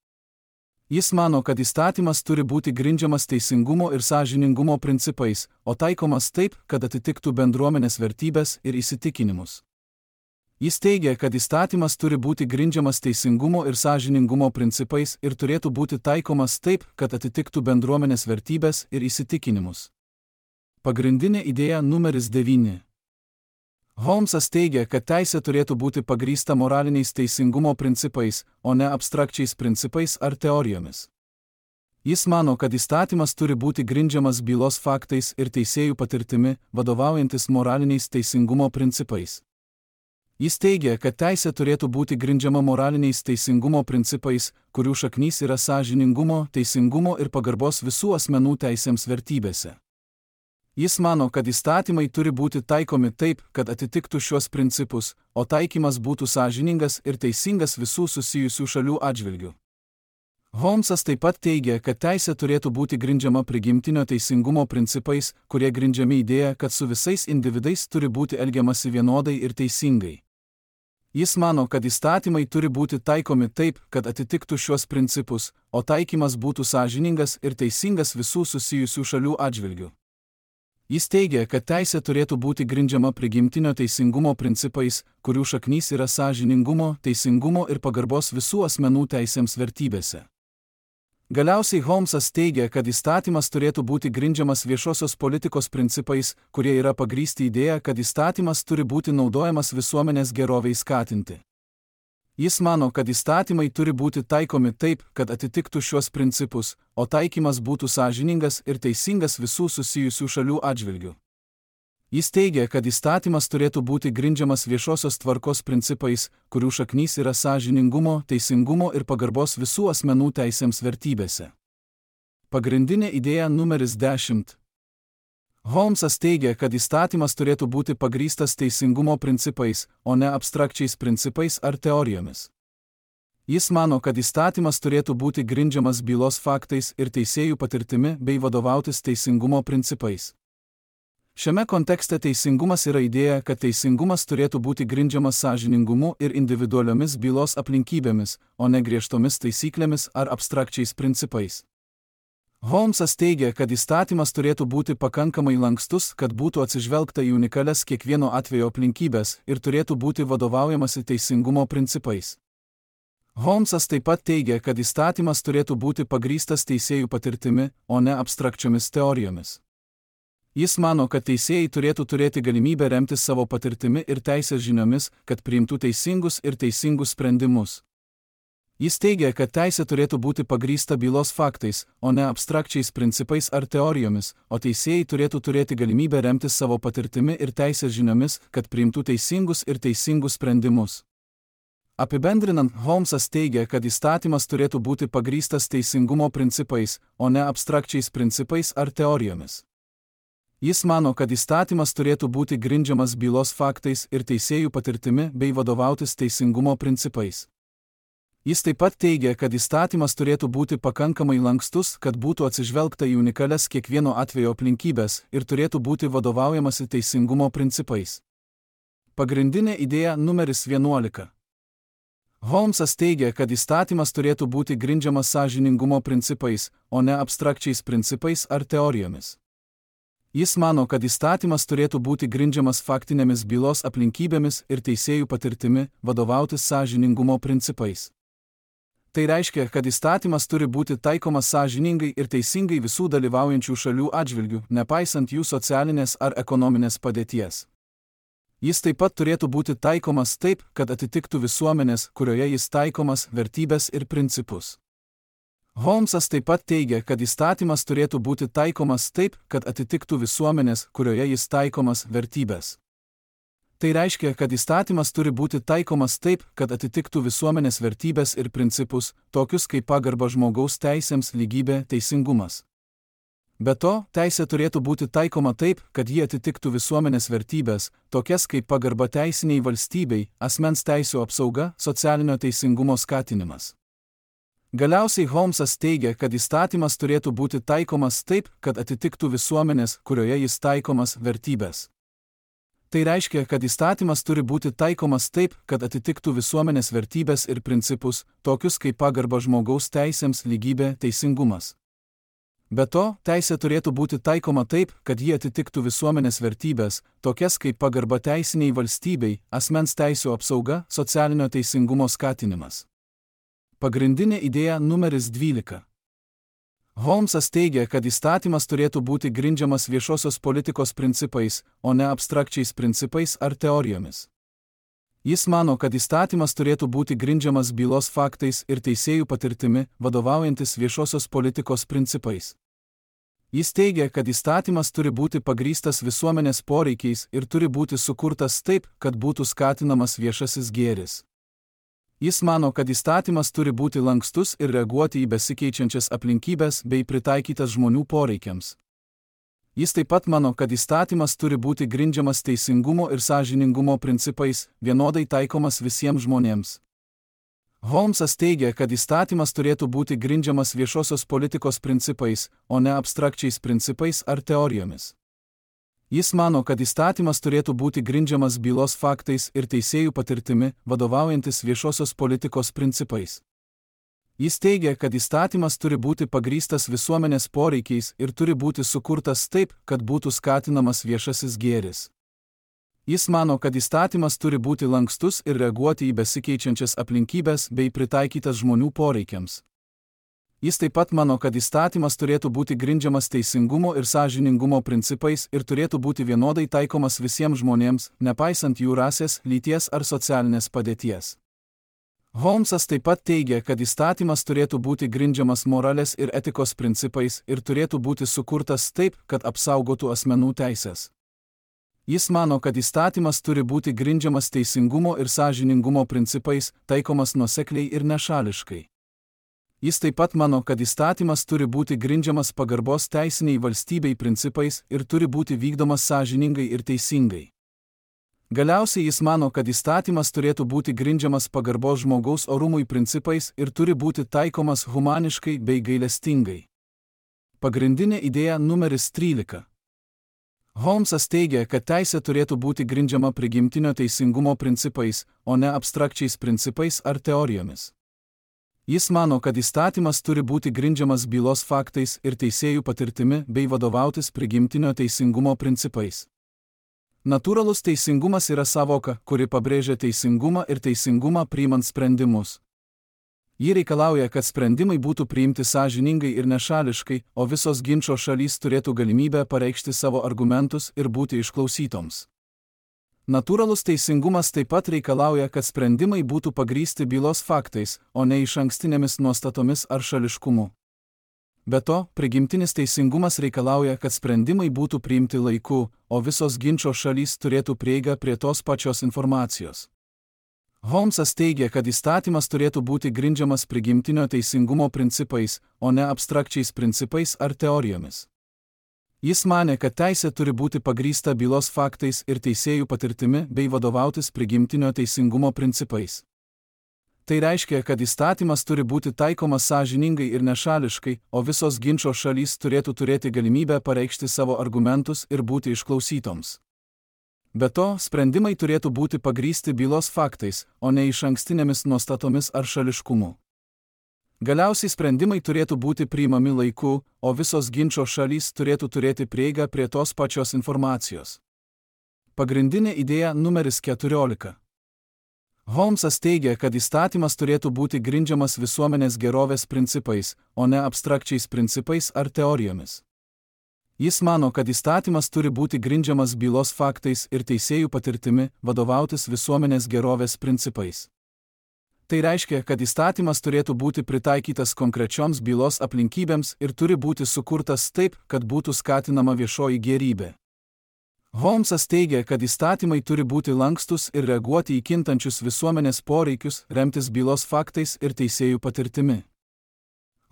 Jis mano, kad įstatymas turi būti grindžiamas teisingumo ir sąžiningumo principais, o taikomas taip, kad atitiktų bendruomenės vertybės ir įsitikinimus. Jis teigia, kad įstatymas turi būti grindžiamas teisingumo ir sąžiningumo principais ir turėtų būti taikomas taip, kad atitiktų bendruomenės vertybės ir įsitikinimus. Pagrindinė idėja numeris devyni. Holmsas teigia, kad teisė turėtų būti pagrįsta moraliniais teisingumo principais, o ne abstrakčiais principais ar teorijomis. Jis mano, kad įstatymas turi būti grindžiamas bylos faktais ir teisėjų patirtimi, vadovaujantis moraliniais teisingumo principais. Jis teigia, kad teisė turėtų būti grindžiama moraliniais teisingumo principais, kurių šaknys yra sąžiningumo, teisingumo ir pagarbos visų asmenų teisėms vertybėse. Jis mano, kad įstatymai turi būti taikomi taip, kad atitiktų šios principus, o taikymas būtų sąžiningas ir teisingas visų susijusių šalių atžvilgių. Holmsas taip pat teigia, kad teisė turėtų būti grindžiama prigimtinio teisingumo principais, kurie grindžiami idėja, kad su visais individais turi būti elgiamasi vienodai ir teisingai. Jis mano, kad įstatymai turi būti taikomi taip, kad atitiktų šios principus, o taikymas būtų sąžiningas ir teisingas visų susijusių šalių atžvilgių. Jis teigia, kad teisė turėtų būti grindžiama prigimtinio teisingumo principais, kurių šaknys yra sąžiningumo, teisingumo ir pagarbos visų asmenų teisėms vertybėse. Galiausiai Holmsas teigia, kad įstatymas turėtų būti grindžiamas viešosios politikos principais, kurie yra pagrįsti idėja, kad įstatymas turi būti naudojamas visuomenės gerovei skatinti. Jis mano, kad įstatymai turi būti taikomi taip, kad atitiktų šios principus, o taikymas būtų sąžiningas ir teisingas visų susijusių šalių atžvilgių. Jis teigia, kad įstatymas turėtų būti grindžiamas viešosios tvarkos principais, kurių šaknys yra sąžiningumo, teisingumo ir pagarbos visų asmenų teisėms vertybėse. Pagrindinė idėja numeris dešimt. Holmsas teigia, kad įstatymas turėtų būti pagrįstas teisingumo principais, o ne abstrakčiais principais ar teorijomis. Jis mano, kad įstatymas turėtų būti grindžiamas bylos faktais ir teisėjų patirtimi bei vadovautis teisingumo principais. Šiame kontekste teisingumas yra idėja, kad teisingumas turėtų būti grindžiamas sąžiningumu ir individualiomis bylos aplinkybėmis, o ne griežtomis taisyklėmis ar abstrakčiais principais. Holmsas teigia, kad įstatymas turėtų būti pakankamai lankstus, kad būtų atsižvelgta į unikalias kiekvieno atvejo aplinkybės ir turėtų būti vadovaujamasi teisingumo principais. Holmsas taip pat teigia, kad įstatymas turėtų būti pagrįstas teisėjų patirtimi, o ne abstrakčiomis teorijomis. Jis mano, kad teisėjai turėtų turėti galimybę remtis savo patirtimi ir teisės žiniomis, kad priimtų teisingus ir teisingus sprendimus. Jis teigia, kad teisė turėtų būti pagrįsta bylos faktais, o ne abstrakčiais principais ar teorijomis, o teisėjai turėtų turėti galimybę remtis savo patirtimi ir teisės žiniomis, kad priimtų teisingus ir teisingus sprendimus. Apibendrinant, Holmsas teigia, kad įstatymas turėtų būti pagrįstas teisingumo principais, o ne abstrakčiais principais ar teorijomis. Jis mano, kad įstatymas turėtų būti grindžiamas bylos faktais ir teisėjų patirtimi bei vadovautis teisingumo principais. Jis taip pat teigia, kad įstatymas turėtų būti pakankamai lankstus, kad būtų atsižvelgta į unikalias kiekvieno atvejo aplinkybės ir turėtų būti vadovaujamasi teisingumo principais. Pagrindinė idėja numeris vienuolika. Holmsas teigia, kad įstatymas turėtų būti grindžiamas sąžiningumo principais, o ne abstrakčiais principais ar teorijomis. Jis mano, kad įstatymas turėtų būti grindžiamas faktinėmis bylos aplinkybėmis ir teisėjų patirtimi, vadovautis sąžiningumo principais. Tai reiškia, kad įstatymas turi būti taikomas sąžiningai ir teisingai visų dalyvaujančių šalių atžvilgių, nepaisant jų socialinės ar ekonominės padėties. Jis taip pat turėtų būti taikomas taip, kad atitiktų visuomenės, kurioje jis taikomas, vertybės ir principus. Holmsas taip pat teigia, kad įstatymas turėtų būti taikomas taip, kad atitiktų visuomenės, kurioje jis taikomas, vertybės. Tai reiškia, kad įstatymas turi būti taikomas taip, kad atitiktų visuomenės vertybės ir principus, tokius kaip pagarba žmogaus teisėms, lygybė, teisingumas. Be to, teisė turėtų būti taikoma taip, kad ji atitiktų visuomenės vertybės, tokias kaip pagarba teisiniai valstybei, asmens teisių apsauga, socialinio teisingumo skatinimas. Galiausiai Holmsas teigia, kad įstatymas turėtų būti taikomas taip, kad atitiktų visuomenės, kurioje jis taikomas, vertybės. Tai reiškia, kad įstatymas turi būti taikomas taip, kad atitiktų visuomenės vertybės ir principus, tokius kaip pagarba žmogaus teisėms, lygybė, teisingumas. Be to, teisė turėtų būti taikoma taip, kad ji atitiktų visuomenės vertybės, tokias kaip pagarba teisiniai valstybei, asmens teisių apsauga, socialinio teisingumo skatinimas. Pagrindinė idėja numeris dvylika. Holmsas teigia, kad įstatymas turėtų būti grindžiamas viešosios politikos principais, o ne abstrakčiais principais ar teorijomis. Jis mano, kad įstatymas turėtų būti grindžiamas bylos faktais ir teisėjų patirtimi, vadovaujantis viešosios politikos principais. Jis teigia, kad įstatymas turi būti pagrįstas visuomenės poreikiais ir turi būti sukurtas taip, kad būtų skatinamas viešasis gėris. Jis mano, kad įstatymas turi būti lankstus ir reaguoti į besikeičiančias aplinkybes bei pritaikytas žmonių poreikiams. Jis taip pat mano, kad įstatymas turi būti grindžiamas teisingumo ir sąžiningumo principais, vienodai taikomas visiems žmonėms. Holmsas teigia, kad įstatymas turėtų būti grindžiamas viešosios politikos principais, o ne abstrakčiais principais ar teorijomis. Jis mano, kad įstatymas turėtų būti grindžiamas bylos faktais ir teisėjų patirtimi, vadovaujantis viešosios politikos principais. Jis teigia, kad įstatymas turi būti pagrįstas visuomenės poreikiais ir turi būti sukurtas taip, kad būtų skatinamas viešasis gėris. Jis mano, kad įstatymas turi būti lankstus ir reaguoti į besikeičiančias aplinkybes bei pritaikytas žmonių poreikiams. Jis taip pat mano, kad įstatymas turėtų būti grindžiamas teisingumo ir sąžiningumo principais ir turėtų būti vienodai taikomas visiems žmonėms, nepaisant jų rasės, lyties ar socialinės padėties. Holmsas taip pat teigia, kad įstatymas turėtų būti grindžiamas moralės ir etikos principais ir turėtų būti sukurtas taip, kad apsaugotų asmenų teisės. Jis mano, kad įstatymas turi būti grindžiamas teisingumo ir sąžiningumo principais, taikomas nuosekliai ir nešališkai. Jis taip pat mano, kad įstatymas turi būti grindžiamas pagarbos teisiniai valstybei principais ir turi būti vykdomas sąžiningai ir teisingai. Galiausiai jis mano, kad įstatymas turėtų būti grindžiamas pagarbos žmogaus orumui principais ir turi būti taikomas humaniškai bei gailestingai. Pagrindinė idėja numeris trylika. Holmsas teigia, kad teisė turėtų būti grindžiama prigimtinio teisingumo principais, o ne abstrakčiais principais ar teorijomis. Jis mano, kad įstatymas turi būti grindžiamas bylos faktais ir teisėjų patirtimi bei vadovautis prigimtinio teisingumo principais. Natūralus teisingumas yra savoka, kuri pabrėžia teisingumą ir teisingumą priimant sprendimus. Ji reikalauja, kad sprendimai būtų priimti sąžiningai ir nešališkai, o visos ginčo šalys turėtų galimybę pareikšti savo argumentus ir būti išklausytoms. Natūralus teisingumas taip pat reikalauja, kad sprendimai būtų pagrįsti bylos faktais, o ne išankstinėmis nuostatomis ar šališkumu. Be to, prigimtinis teisingumas reikalauja, kad sprendimai būtų priimti laiku, o visos ginčo šalys turėtų prieigą prie tos pačios informacijos. Holmsas teigia, kad įstatymas turėtų būti grindžiamas prigimtinio teisingumo principais, o ne abstrakčiais principais ar teorijomis. Jis manė, kad teisė turi būti pagrįsta bylos faktais ir teisėjų patirtimi bei vadovautis prigimtinio teisingumo principais. Tai reiškia, kad įstatymas turi būti taikomas sąžiningai ir nešališkai, o visos ginčo šalys turėtų turėti galimybę pareikšti savo argumentus ir būti išklausytoms. Be to, sprendimai turėtų būti pagrįsti bylos faktais, o ne išankstinėmis nuostatomis ar šališkumu. Galiausiai sprendimai turėtų būti priimami laiku, o visos ginčo šalys turėtų turėti prieigą prie tos pačios informacijos. Pagrindinė idėja numeris keturiolika. Holmsas teigia, kad įstatymas turėtų būti grindžiamas visuomenės gerovės principais, o ne abstrakčiais principais ar teorijomis. Jis mano, kad įstatymas turi būti grindžiamas bylos faktais ir teisėjų patirtimi, vadovautis visuomenės gerovės principais. Tai reiškia, kad įstatymas turėtų būti pritaikytas konkrečioms bylos aplinkybėms ir turi būti sukurtas taip, kad būtų skatinama viešoji gėrybė. Holmsas teigia, kad įstatymai turi būti lankstus ir reaguoti į kintančius visuomenės poreikius, remtis bylos faktais ir teisėjų patirtimi.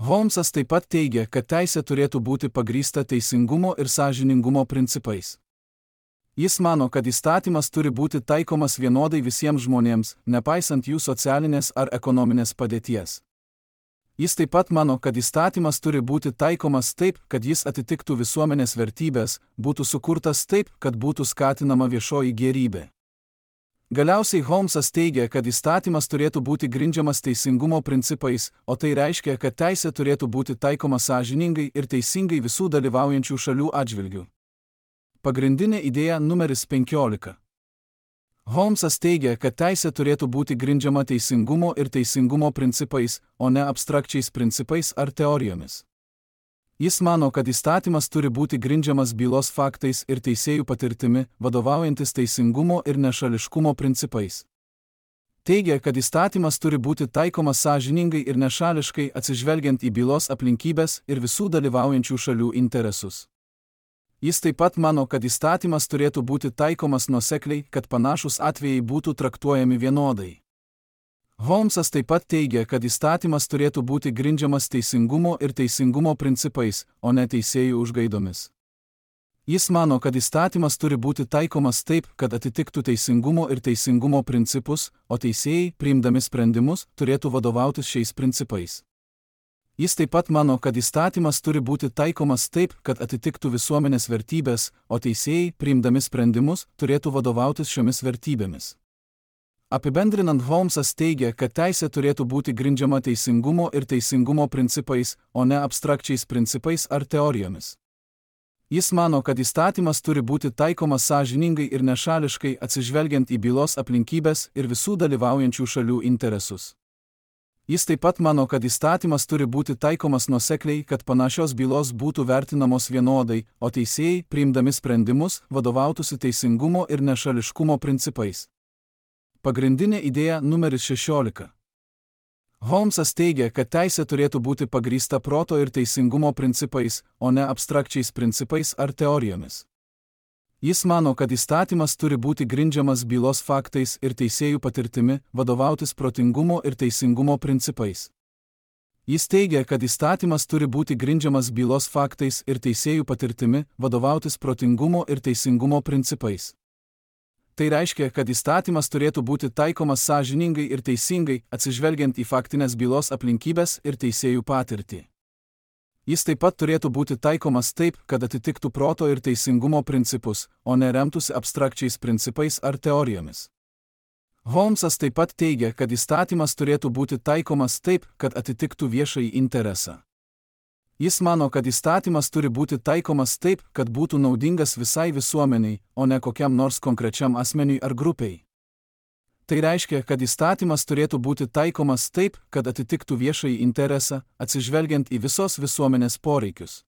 Holmsas taip pat teigia, kad teisė turėtų būti pagrįsta teisingumo ir sąžiningumo principais. Jis mano, kad įstatymas turi būti taikomas vienodai visiems žmonėms, nepaisant jų socialinės ar ekonominės padėties. Jis taip pat mano, kad įstatymas turi būti taikomas taip, kad jis atitiktų visuomenės vertybės, būtų sukurtas taip, kad būtų skatinama viešoji gėrybė. Galiausiai Holmesas teigia, kad įstatymas turėtų būti grindžiamas teisingumo principais, o tai reiškia, kad teisė turėtų būti taikoma sąžiningai ir teisingai visų dalyvaujančių šalių atžvilgių. Pagrindinė idėja numeris penkiolika. Holmesas teigia, kad teisė turėtų būti grindžiama teisingumo ir teisingumo principais, o ne abstrakčiais principais ar teorijomis. Jis mano, kad įstatymas turi būti grindžiamas bylos faktais ir teisėjų patirtimi, vadovaujantis teisingumo ir nešališkumo principais. Teigia, kad įstatymas turi būti taikomas sąžiningai ir nešališkai atsižvelgiant į bylos aplinkybes ir visų dalyvaujančių šalių interesus. Jis taip pat mano, kad įstatymas turėtų būti taikomas nuosekliai, kad panašūs atvejai būtų traktuojami vienodai. Holmesas taip pat teigia, kad įstatymas turėtų būti grindžiamas teisingumo ir teisingumo principais, o ne teisėjų užgaidomis. Jis mano, kad įstatymas turi būti taikomas taip, kad atitiktų teisingumo ir teisingumo principus, o teisėjai, priimdami sprendimus, turėtų vadovautis šiais principais. Jis taip pat mano, kad įstatymas turi būti taikomas taip, kad atitiktų visuomenės vertybės, o teisėjai, priimdami sprendimus, turėtų vadovautis šiomis vertybėmis. Apibendrinant, Holmesas teigia, kad teisė turėtų būti grindžiama teisingumo ir teisingumo principais, o ne abstrakčiais principais ar teorijomis. Jis mano, kad įstatymas turi būti taikomas sąžiningai ir nešališkai atsižvelgiant į bylos aplinkybes ir visų dalyvaujančių šalių interesus. Jis taip pat mano, kad įstatymas turi būti taikomas nuosekliai, kad panašios bylos būtų vertinamos vienodai, o teisėjai, priimdami sprendimus, vadovautųsi teisingumo ir nešališkumo principais. Pagrindinė idėja numeris šešiolika. Holmesas teigia, kad teisė turėtų būti pagrįsta proto ir teisingumo principais, o ne abstrakčiais principais ar teorijomis. Jis mano, kad įstatymas turi būti grindžiamas bylos faktais ir teisėjų patirtimi, vadovautis protingumo ir teisingumo principais. Jis teigia, kad įstatymas turi būti grindžiamas bylos faktais ir teisėjų patirtimi, vadovautis protingumo ir teisingumo principais. Tai reiškia, kad įstatymas turėtų būti taikomas sąžiningai ir teisingai, atsižvelgiant į faktinės bylos aplinkybes ir teisėjų patirtį. Jis taip pat turėtų būti taikomas taip, kad atitiktų proto ir teisingumo principus, o ne remtųsi abstrakčiais principais ar teorijomis. Holmesas taip pat teigia, kad įstatymas turėtų būti taikomas taip, kad atitiktų viešąjį interesą. Jis mano, kad įstatymas turi būti taikomas taip, kad būtų naudingas visai visuomeniai, o ne kokiam nors konkrečiam asmeniui ar grupiai. Tai reiškia, kad įstatymas turėtų būti taikomas taip, kad atitiktų viešąjį interesą, atsižvelgiant į visos visuomenės poreikius.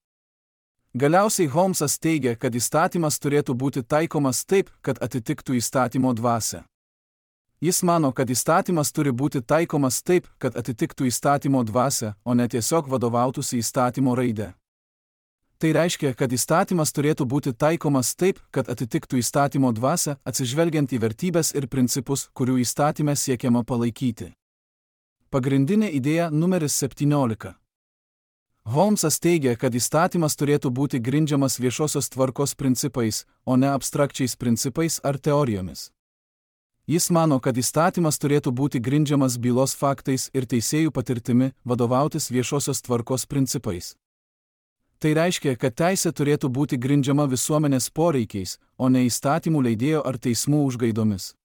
Galiausiai Holmesas teigia, kad įstatymas turėtų būti taikomas taip, kad atitiktų įstatymo dvasią. Jis mano, kad įstatymas turi būti taikomas taip, kad atitiktų įstatymo dvasią, o ne tiesiog vadovautųsi įstatymo raidę. Tai reiškia, kad įstatymas turėtų būti taikomas taip, kad atitiktų įstatymo dvasią, atsižvelgiant į vertybes ir principus, kurių įstatyme siekiama palaikyti. Pagrindinė idėja numeris septyniolika. Holmesas teigia, kad įstatymas turėtų būti grindžiamas viešosios tvarkos principais, o ne abstrakčiais principais ar teorijomis. Jis mano, kad įstatymas turėtų būti grindžiamas bylos faktais ir teisėjų patirtimi, vadovautis viešosios tvarkos principais. Tai reiškia, kad teisė turėtų būti grindžiama visuomenės poreikiais, o ne įstatymų leidėjo ar teismų užgaidomis.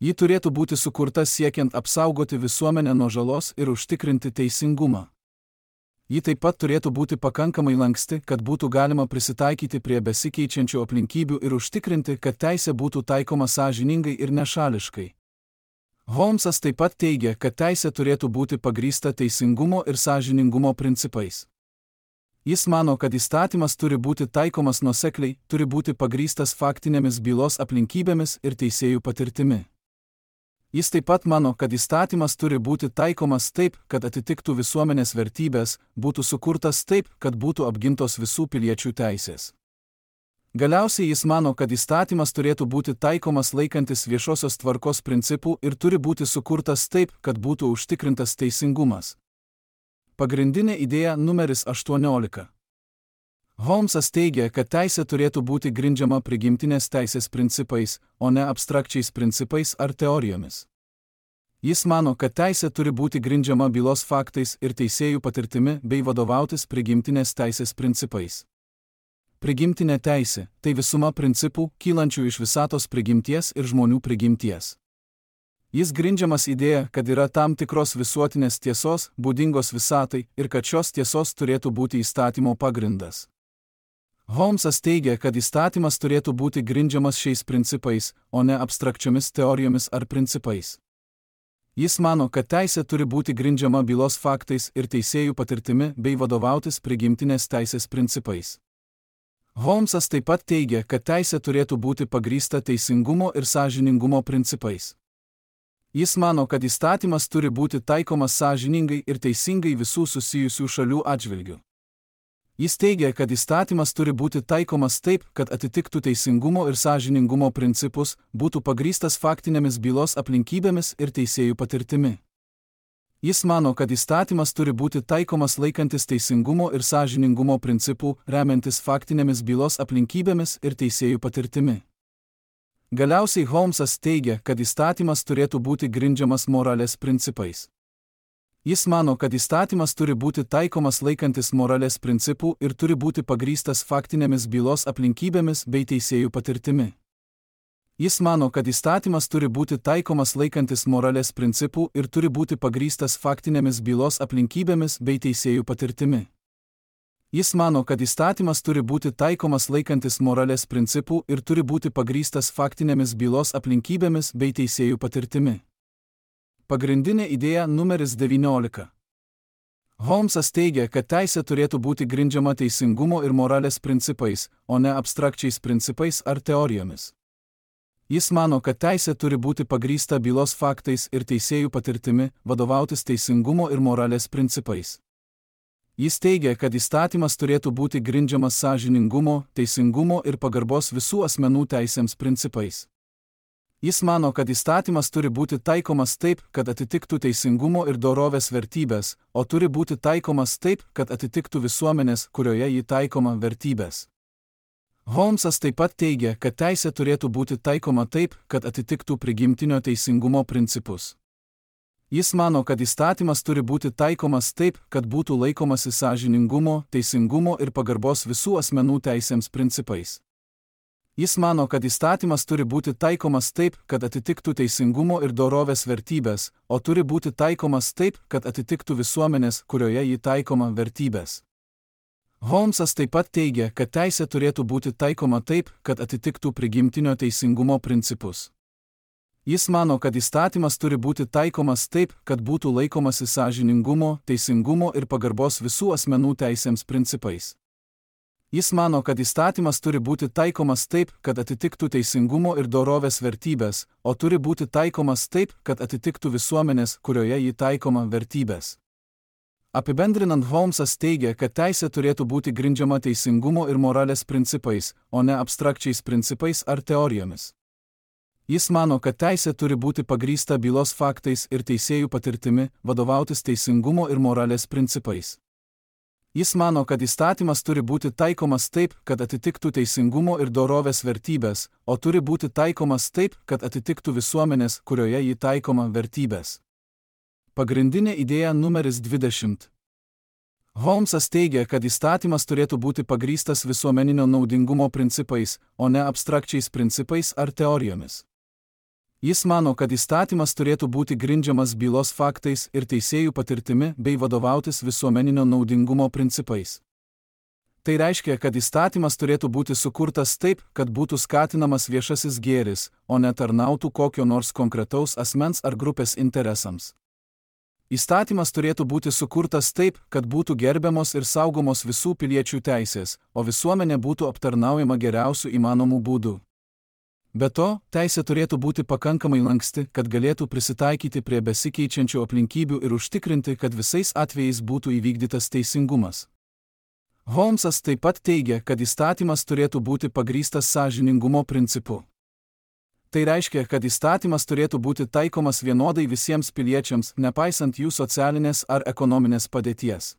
Ji turėtų būti sukurta siekiant apsaugoti visuomenę nuo žalos ir užtikrinti teisingumą. Ji taip pat turėtų būti pakankamai lanksti, kad būtų galima prisitaikyti prie besikeičiančių aplinkybių ir užtikrinti, kad teisė būtų taikoma sąžiningai ir nešališkai. Holmesas taip pat teigia, kad teisė turėtų būti pagrįsta teisingumo ir sąžiningumo principais. Jis mano, kad įstatymas turi būti taikomas nuosekliai, turi būti pagrįstas faktinėmis bylos aplinkybėmis ir teisėjų patirtimi. Jis taip pat mano, kad įstatymas turi būti taikomas taip, kad atitiktų visuomenės vertybės, būtų sukurtas taip, kad būtų apgintos visų piliečių teisės. Galiausiai jis mano, kad įstatymas turėtų būti taikomas laikantis viešosios tvarkos principų ir turi būti sukurtas taip, kad būtų užtikrintas teisingumas. Pagrindinė idėja numeris aštuoniolika. Holmesas teigia, kad teisė turėtų būti grindžiama prigimtinės teisės principais, o ne abstrakčiais principais ar teorijomis. Jis mano, kad teisė turi būti grindžiama bylos faktais ir teisėjų patirtimi bei vadovautis prigimtinės teisės principais. Prigimtinė teisė – tai visuma principų, kylančių iš visatos prigimties ir žmonių prigimties. Jis grindžiamas idėja, kad yra tam tikros visuotinės tiesos, būdingos visatai, ir kad šios tiesos turėtų būti įstatymo pagrindas. Holmsas teigia, kad įstatymas turėtų būti grindžiamas šiais principais, o ne abstrakčiomis teorijomis ar principais. Jis mano, kad teisė turi būti grindžiama bylos faktais ir teisėjų patirtimi bei vadovautis prigimtinės teisės principais. Holmsas taip pat teigia, kad teisė turėtų būti pagrįsta teisingumo ir sąžiningumo principais. Jis mano, kad įstatymas turi būti taikomas sąžiningai ir teisingai visų susijusių šalių atžvilgių. Jis teigia, kad įstatymas turi būti taikomas taip, kad atitiktų teisingumo ir sąžiningumo principus, būtų pagrįstas faktinėmis bylos aplinkybėmis ir teisėjų patirtimi. Jis mano, kad įstatymas turi būti taikomas laikantis teisingumo ir sąžiningumo principų, remiantis faktinėmis bylos aplinkybėmis ir teisėjų patirtimi. Galiausiai Holmsas teigia, kad įstatymas turėtų būti grindžiamas moralės principais. Jis mano, kad įstatymas turi būti taikomas laikantis moralės principų ir turi būti pagrįstas faktinėmis bylos aplinkybėmis bei teisėjų patirtimi. Jis mano, kad įstatymas turi būti taikomas laikantis moralės principų ir turi būti pagrįstas faktinėmis bylos aplinkybėmis bei teisėjų patirtimi. Jis mano, kad įstatymas turi būti taikomas laikantis moralės principų ir turi būti pagrįstas faktinėmis bylos aplinkybėmis bei teisėjų patirtimi. Pagrindinė idėja numeris devyniolika. Holmsas teigia, kad teisė turėtų būti grindžiama teisingumo ir moralės principais, o ne abstrakčiais principais ar teorijomis. Jis mano, kad teisė turi būti pagrįsta bylos faktais ir teisėjų patirtimi, vadovautis teisingumo ir moralės principais. Jis teigia, kad įstatymas turėtų būti grindžiamas sąžiningumo, teisingumo ir pagarbos visų asmenų teisėms principais. Jis mano, kad įstatymas turi būti taikomas taip, kad atitiktų teisingumo ir dorovės vertybės, o turi būti taikomas taip, kad atitiktų visuomenės, kurioje jį taikoma, vertybės. Holmsas taip pat teigia, kad teisė turėtų būti taikoma taip, kad atitiktų prigimtinio teisingumo principus. Jis mano, kad įstatymas turi būti taikomas taip, kad būtų laikomasi sąžiningumo, teisingumo ir pagarbos visų asmenų teisėms principais. Jis mano, kad įstatymas turi būti taikomas taip, kad atitiktų teisingumo ir dorovės vertybės, o turi būti taikomas taip, kad atitiktų visuomenės, kurioje jį taikoma, vertybės. Holmsas taip pat teigia, kad teisė turėtų būti taikoma taip, kad atitiktų prigimtinio teisingumo principus. Jis mano, kad įstatymas turi būti taikomas taip, kad būtų laikomasi sąžiningumo, teisingumo ir pagarbos visų asmenų teisėms principais. Jis mano, kad įstatymas turi būti taikomas taip, kad atitiktų teisingumo ir dorovės vertybės, o turi būti taikomas taip, kad atitiktų visuomenės, kurioje jį taikoma, vertybės. Apibendrinant, Holmsas teigia, kad teisė turėtų būti grindžiama teisingumo ir moralės principais, o ne abstrakčiais principais ar teorijomis. Jis mano, kad teisė turi būti pagrįsta bylos faktais ir teisėjų patirtimi, vadovautis teisingumo ir moralės principais. Jis mano, kad įstatymas turi būti taikomas taip, kad atitiktų teisingumo ir dorovės vertybės, o turi būti taikomas taip, kad atitiktų visuomenės, kurioje jį taikoma, vertybės. Pagrindinė idėja numeris dvidešimt. Holmsas teigia, kad įstatymas turėtų būti pagrįstas visuomeninio naudingumo principais, o ne abstrakčiais principais ar teorijomis. Jis mano, kad įstatymas turėtų būti grindžiamas bylos faktais ir teisėjų patirtimi bei vadovautis visuomeninio naudingumo principais. Tai reiškia, kad įstatymas turėtų būti sukurtas taip, kad būtų skatinamas viešasis gėris, o ne tarnautų kokio nors konkretaus asmens ar grupės interesams. Įstatymas turėtų būti sukurtas taip, kad būtų gerbiamos ir saugomos visų piliečių teisės, o visuomenė būtų aptarnaujama geriausių įmanomų būdų. Be to, teisė turėtų būti pakankamai lanksti, kad galėtų prisitaikyti prie besikeičiančių aplinkybių ir užtikrinti, kad visais atvejais būtų įvykdytas teisingumas. Holmsas taip pat teigia, kad įstatymas turėtų būti pagrįstas sąžiningumo principu. Tai reiškia, kad įstatymas turėtų būti taikomas vienodai visiems piliečiams, nepaisant jų socialinės ar ekonominės padėties.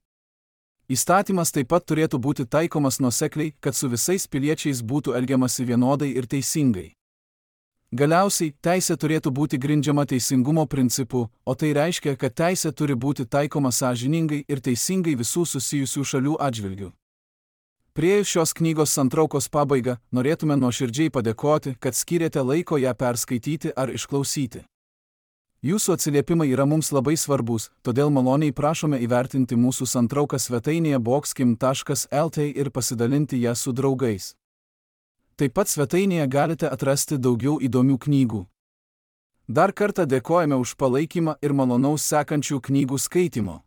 Įstatymas taip pat turėtų būti taikomas nuosekliai, kad su visais piliečiais būtų elgiamasi vienodai ir teisingai. Galiausiai, teisė turėtų būti grindžiama teisingumo principu, o tai reiškia, kad teisė turi būti taikoma sąžiningai ir teisingai visų susijusių šalių atžvilgių. Priėjus šios knygos santraukos pabaigą, norėtume nuoširdžiai padėkoti, kad skyrėte laiko ją perskaityti ar išklausyti. Jūsų atsiliepimai yra mums labai svarbus, todėl maloniai prašome įvertinti mūsų santrauką svetainėje boxkim taškas lt ir pasidalinti ją su draugais. Taip pat svetainėje galite atrasti daugiau įdomių knygų. Dar kartą dėkojame už palaikymą ir malonaus sekančių knygų skaitimo.